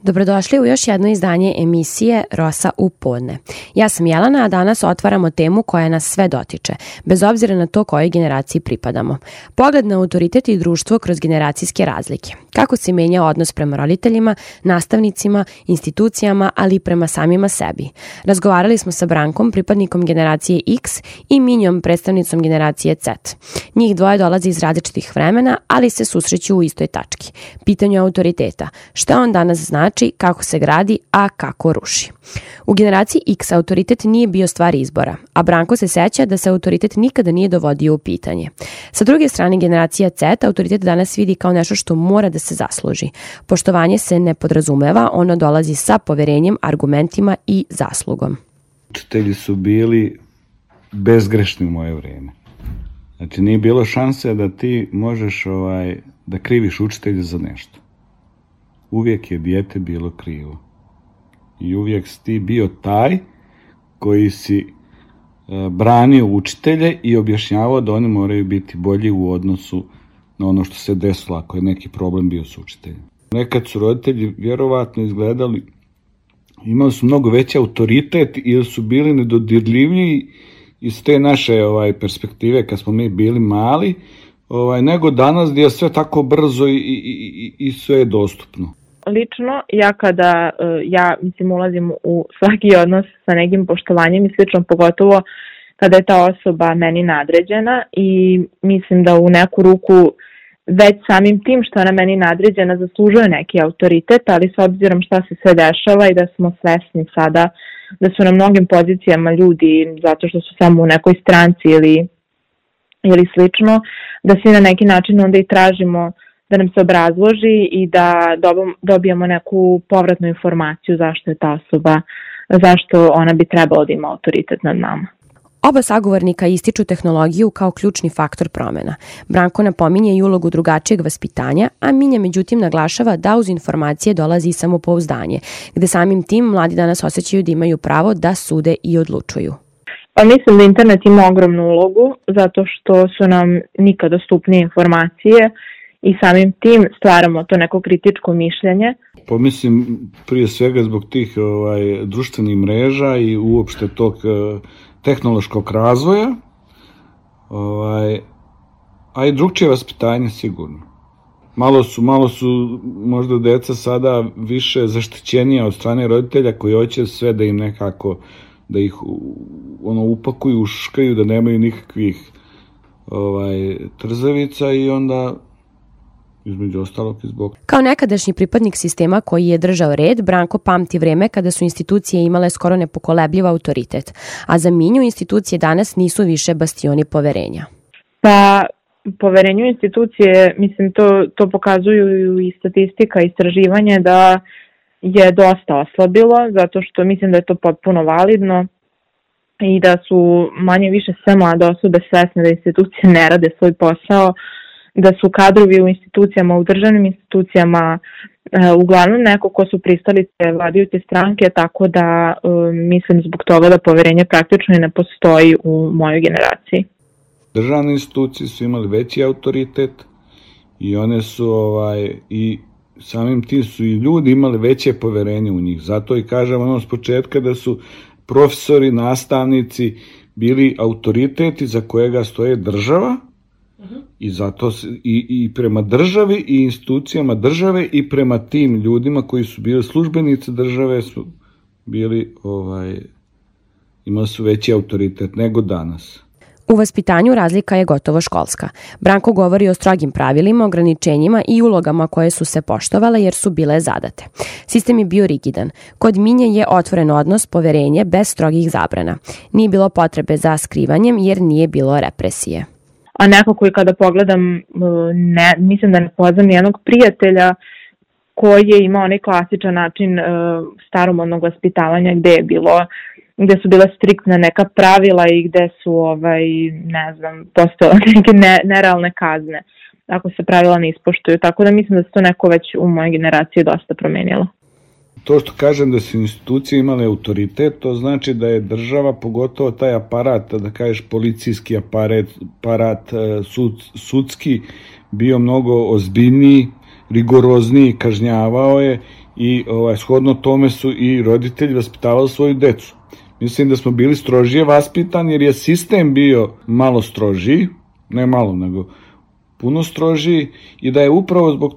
Dobrodošli u još jedno izdanje emisije Rosa u podne. Ja sam Jelena, a danas otvaramo temu koja nas sve dotiče, bez obzira na to kojoj generaciji pripadamo. Pogled na autoritet i društvo kroz generacijske razlike. Kako se menja odnos prema roditeljima, nastavnicima, institucijama, ali i prema samima sebi. Razgovarali smo sa Brankom, pripadnikom generacije X, i Minjom, predstavnicom generacije Z. Njih dvoje dolaze iz različitih vremena, ali se susreću u istoj tački. Pitanju autoriteta. Šta on danas znači, kako se gradi, a kako ruši. U generaciji X autoritet nije bio stvar izbora, a Branko se seća da se autoritet nikada nije dovodio u pitanje. Sa druge strane, generacija Z autoritet danas vidi kao nešto što mora da se zasluži. Poštovanje se ne podrazumeva, ono dolazi sa poverenjem, argumentima i zaslugom. Učitelji su bili bezgrešni u moje vreme. Znači, nije bilo šanse da ti možeš da kriviš učitelja za nešto. Uvijek je dijete bilo krivo. I uvijek si ti bio taj koji si branio učitelje i objašnjavao da oni moraju biti bolji u odnosu na ono što se desilo ako je neki problem bio s učiteljem. Nekad su roditelji vjerovatno izgledali, imali su mnogo veći autoritet ili su bili nedodirljiviji iz te naše perspektive kad smo mi bili mali, nego danas gdje je sve tako brzo i sve je dostupno. Lično, kada ulazim u svaki odnos sa nekim poštovanjem i slično, pogotovo kada je ta osoba meni nadređena, i mislim da u neku ruku već samim tim što je ona meni nadređena zaslužuje neki autoritet, ali s obzirom šta se sve dešava i da smo svesni sada da su na mnogim pozicijama ljudi zato što su samo u nekoj stranci ili slično, da svi na neki način onda i tražimo da nam se obrazloži i da dobijemo neku povratnu informaciju zašto je ta osoba, zašto ona bi trebala da ima autoritet nad nama. Oba sagovornika ističu tehnologiju kao ključni faktor promjena. Branko napominje i ulogu drugačijeg vaspitanja, a Minja međutim naglašava da uz informacije dolazi i samopouzdanje, gde samim tim mladi danas osjećaju da imaju pravo da sude i odlučuju. Pa mislim da internet ima ogromnu ulogu, zato što su nam nikad dostupnije informacije i samim tim stvaramo to neko kritičko mišljenje. Pa mislim prije svega zbog tih društvenih mreža i uopšte tog tehnološkog razvoja, a i drugčije vaspitanje sigurno. Malo su možda deca sada više zaštićenija od strane roditelja koji hoće sve da im nekako, da ih upakuju, uškaju, da nemaju nikakvih trzavica i onda između ostalog i zbog. Kao nekadašnji pripadnik sistema koji je držao red, Branko pamti vreme kada su institucije imale skoro nepokolebljiv autoritet, a za Minju institucije danas nisu više bastioni poverenja. Pa, poverenju institucije, mislim, to pokazuju i statistika i istraživanje da je dosta oslabilo, zato što mislim da je to potpuno validno i da su manje više sve mlade osobe svesne da institucije ne rade svoj posao, da su kadrovi u institucijama, u državnim institucijama uglavnom neko ko su pristalice vladajuće stranke, tako da mislim zbog toga da poverenje praktično ne postoji u mojoj generaciji. Državne institucije su imali veći autoritet i one su i samim tim su i ljudi imali veće poverenje u njih. Zato i kažem s početka da su profesori, nastavnici bili autoriteti za kojega stoje država. I zato i prema državi i institucijama države i prema tim ljudima koji su bili službenici države su bili imali su veći autoritet nego danas. U vaspitanju razlika je gotovo školska. Branko govori o strogim pravilima, ograničenjima i ulogama koje su se poštovale jer su bile zadate. Sistem je bio rigidan. Kod Minje je otvoren odnos, poverenje bez strogih zabrana. Nije bilo potrebe za skrivanjem jer nije bilo represije. A nekako i kada pogledam, mislim da ne poznam nijednog prijatelja koji je imao onaj klasičan način staromodnog vaspitavanja gde su bile striktne neka pravila i gde su, postojale neke nerealne kazne ako se pravila ne ispoštuju. Tako da mislim da se to neko već u mojoj generaciji dosta promenilo. To što kažem da su institucije imale autoritet, to znači da je država, pogotovo taj aparat, da kažeš policijski aparat, sudski, bio mnogo ozbiljniji, rigorozniji, kažnjavao je i shodno tome su i roditelji vaspitavali svoju decu. Mislim da smo bili strožije vaspitani jer je sistem bio malo strožiji, ne malo nego puno strožiji, i da je upravo zbog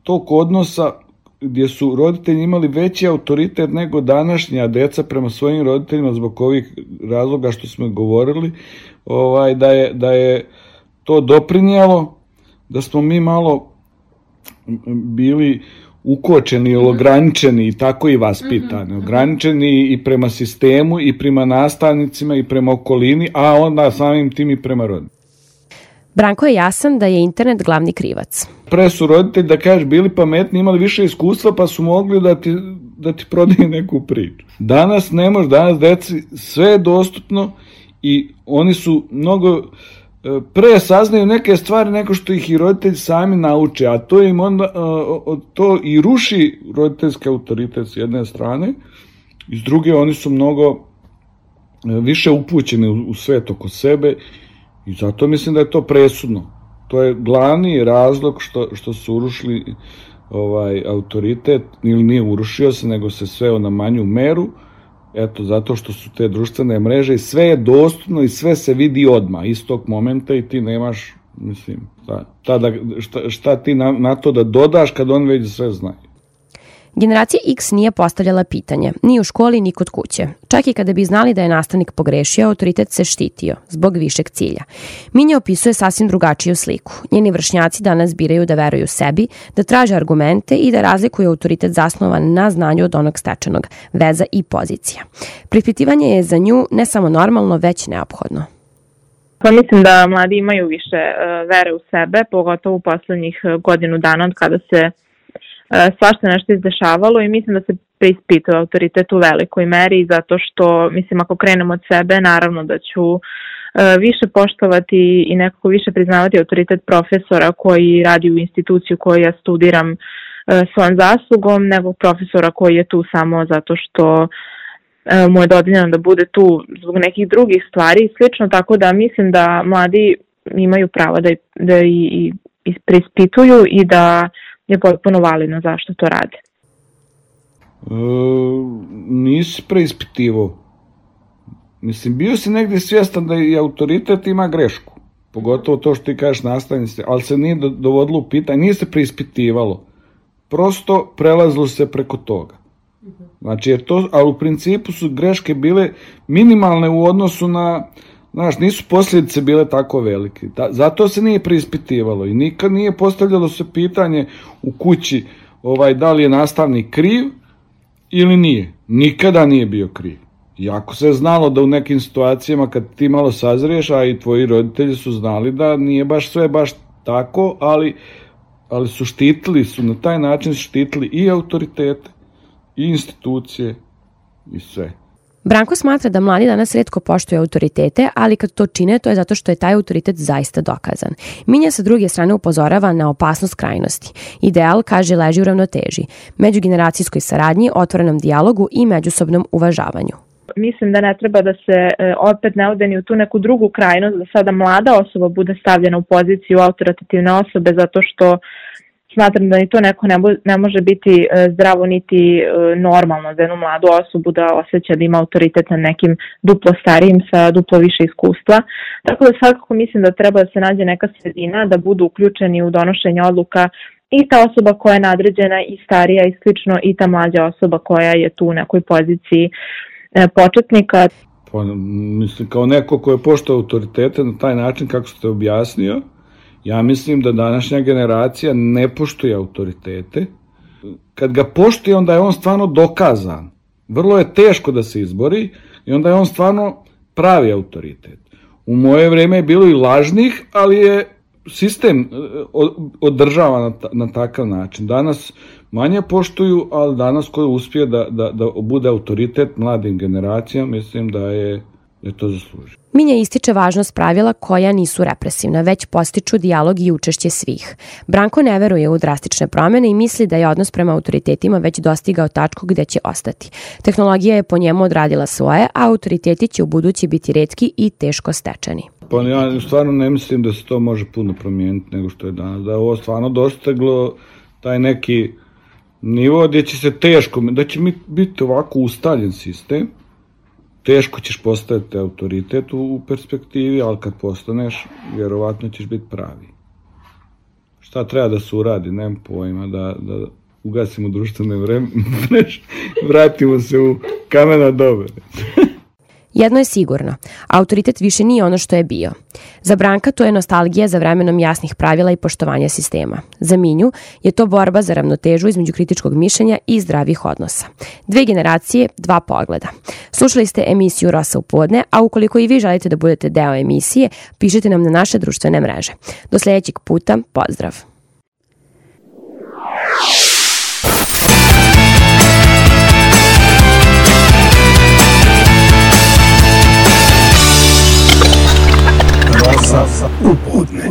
tog odnosa gdje su roditelji imali veći autoritet nego današnja deca prema svojim roditeljima zbog ovih razloga što smo govorili, da je to doprinijelo da smo mi malo bili ukočeni ili ograničeni i tako i vaspitani. Ograničeni i prema sistemu i prema nastavnicima i prema okolini, a onda samim tim i prema roditeljima. Branko je jasan da je internet glavni krivac. Pre su roditelji, da kažeš, bili pametni, imali više iskustva pa su mogli da ti prodaju neku priču. Danas ne može, danas deci sve je dostupno i oni su mnogo pre saznaju neke stvari nego što ih i roditelji sami nauče, a to im onda to i ruši roditeljski autoritet s jedne strane, i s druge oni su mnogo više upućeni u svet oko sebe, i zato mislim da je to presudno. To je glavni razlog što su urušili autoritet, ili nije urušio se, nego se sveo na manju meru, eto, zato što su te društvene mreže i sve je dostupno i sve se vidi odmah, istog momenta, i ti nemaš, mislim, šta ti na to da dodaš kad on već sve znaju. Generacija X nije postavljala pitanje, ni u školi, ni kod kuće. Čak i kada bi znali da je nastavnik pogrešio, autoritet se štitio, zbog višeg cilja. Minja opisuje sasvim drugačiju sliku. Njeni vršnjaci danas biraju da veruju sebi, da traže argumente i da razlikuju autoritet zasnovan na znanju od onog stečenog, veza i pozicija. Pripitivanje je za nju ne samo normalno, već neophodno. Pa mislim da mladi imaju više vere u sebe, pogotovo u poslednjih godinu dana od kada se svašta nešto izdešavalo, i mislim da se preispituje autoritet u velikoj meri, zato što, mislim, ako krenemo od sebe, naravno da ću više poštovati i nekako više priznavati autoritet profesora koji radi u instituciju koju ja studiram svojom zaslugom, nego profesora koji je tu samo zato što mu je dodeljeno da bude tu zbog nekih drugih stvari i slično, tako da mislim da mladi imaju pravo da i preispituju i da je potpuno validno zašto to rade. Nisi preispitivao. Mislim, bio si negdje svjestan da i autoritet ima grešku. Pogotovo to što ti kažeš nastavnici, ali se nije dovodilo u pitanje, nije se preispitivalo. Prosto prelazilo se preko toga. Znači, ali u principu su greške bile minimalne u odnosu na, znaš, nisu posljedice bile tako velike. Zato se nije preispitivalo i nikad nije postavljalo se pitanje u kući da li je nastavnik kriv ili nije. Nikada nije bio kriv. Iako se je znalo da u nekim situacijama kad ti malo sazriješ, a i tvoji roditelji su znali da nije baš sve baš tako, ali su štitili, na taj način štitili i autoritete, i institucije, i sve. Branko smatra da mladi danas retko poštuju autoritete, ali kad to čine, to je zato što je taj autoritet zaista dokazan. Minja sa druge strane upozorava na opasnost krajnosti. Ideal, kaže, leži u ravnoteži, međugeneracijskoj saradnji, otvorenom dijalogu i međusobnom uvažavanju. Mislim da ne treba da se opet ne ode ni u tu neku drugu krajnost, da sada mlada osoba bude stavljena u poziciju autoritativne osobe, zato što smatram da ni to neko ne može biti zdravo niti normalno za jednu mladu osobu da osjeća da ima autoritet na nekim duplo starijim sa duplo više iskustva. Tako da svakako mislim da treba da se nađe neka sredina, da budu uključeni u donošenje odluka i ta osoba koja je nadređena i starija i slično, i ta mlađa osoba koja je tu u nekoj poziciji početnika. Pa, mislim, kao neko ko je poštao autoritete na taj način kako ste objasnio, ja mislim da današnja generacija ne poštuje autoritete. Kad ga poštuje, onda je on stvarno dokazan. Vrlo je teško da se izbori i onda je on stvarno pravi autoritet. U moje vrijeme je bilo i lažnih, ali je sistem održava na takav način. Danas manje poštuju, ali danas ko uspije da bude autoritet mladim generacijama, mislim da je to zaslužio. Minja ističe važnost pravila koja nisu represivna, već postiču dijalog i učešće svih. Branko ne veruje u drastične promjene i misli da je odnos prema autoritetima već dostigao tačku gdje će ostati. Tehnologija je po njemu odradila svoje, a autoriteti će u budući biti retki i teško stečeni. Pa ja stvarno ne mislim da se to može puno promijeniti nego što je danas. Da je ovo stvarno dostiglo taj neki nivo gdje će se teško, da će biti ovako ustaljen sistem, teško ćeš postaviti autoritet u perspektivi, ali kad postaneš, vjerovatno ćeš biti pravi. Šta treba da se uradi, nemam pojma, da ugasimo društvene vreme, vratimo se u kamena dobe. Jedno je sigurno, autoritet više nije ono što je bio. Za Branka to je nostalgija za vremenom jasnih pravila i poštovanja sistema. Za Minju je to borba za ravnotežu između kritičkog mišljenja i zdravih odnosa. 2 generacije, 2 pogleda. Slušali ste emisiju Rosa u podne, a ukoliko i vi želite da budete deo emisije, pišite nam na naše društvene mreže. Do sljedećeg puta, pozdrav! Rosa u podne.